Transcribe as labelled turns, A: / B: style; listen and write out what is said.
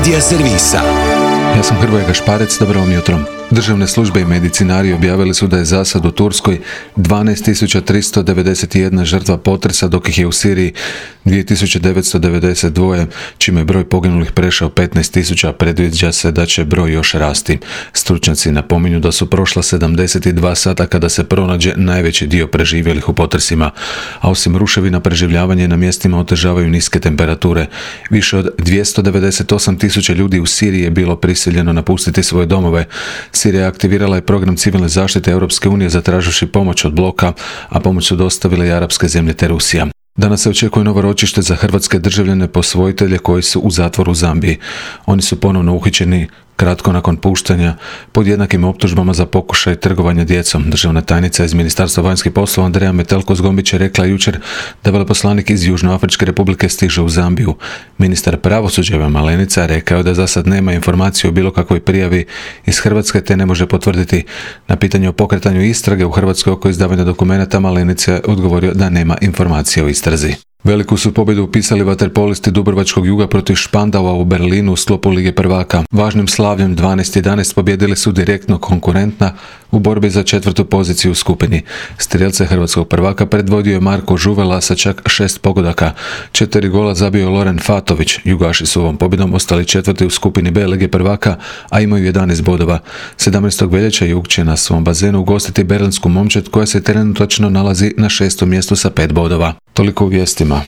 A: Medija servisa.
B: Ja sam Hrvoje Gašparec, dobro vam jutro. Državne službe i medicinari objavili su da je za sad u Turskoj 12.391 žrtva potresa, dok ih je u Siriji 2.992, čime je broj poginulih prešao 15.000, a predviđa se da će broj još rasti. Stručnjaci napominju da su prošla 72 sata kada se pronađe najveći dio preživjelih u potresima, a osim ruševina preživljavanje na mjestima otežavaju niske temperature. Više od 298.000 ljudi u Siriji je bilo prisiljeno napustiti svoje domove. Sirija aktivirala je program civilne zaštite Europske unije zatraživši pomoć od bloka, a pomoć su dostavile i arapske zemlje te Rusija. Danas se očekuje novo ročište za hrvatske državljane posvojitelje koji su u zatvoru u Zambiji. Oni su ponovno uhićeni kratko nakon puštanja pod jednakim optužbama za pokušaj trgovanja djecom. Državna tajnica iz Ministarstva vanjskih poslova Andreja Metelko-Zgombić je rekla jučer da veleposlanik iz Južnoafričke republike stiže u Zambiju. Ministar pravosuđa Ivan Malenica rekao je da za sad nema informacije o bilo kakvoj prijavi iz Hrvatske te ne može potvrditi. Na pitanje o pokretanju istrage u Hrvatskoj oko izdavanja dokumenata Malenica je odgovorio da nema informacije o istrazi. Veliku su pobjedu upisali vaterpolisti Dubrovačkog Juga protiv Špandaua u Berlinu u sklopu Lige prvaka. Važnim slavljem 12-11 pobjedili su direktno konkurentna u borbi za 4. poziciju u skupini. Strijelce hrvatskog prvaka predvodio je Marko Žuvela sa čak 6 pogodaka. 4 gola zabio je Loren Fatović. Jugaši su ovom pobjedom ostali 4. u skupini B Lige prvaka, a imaju 11 bodova. 17. veljače Jug će na svom bazenu ugostiti berlinsku Momčad koja se trenutačno nalazi na 6. mjestu sa 5 bodova. Toliko u vijestima.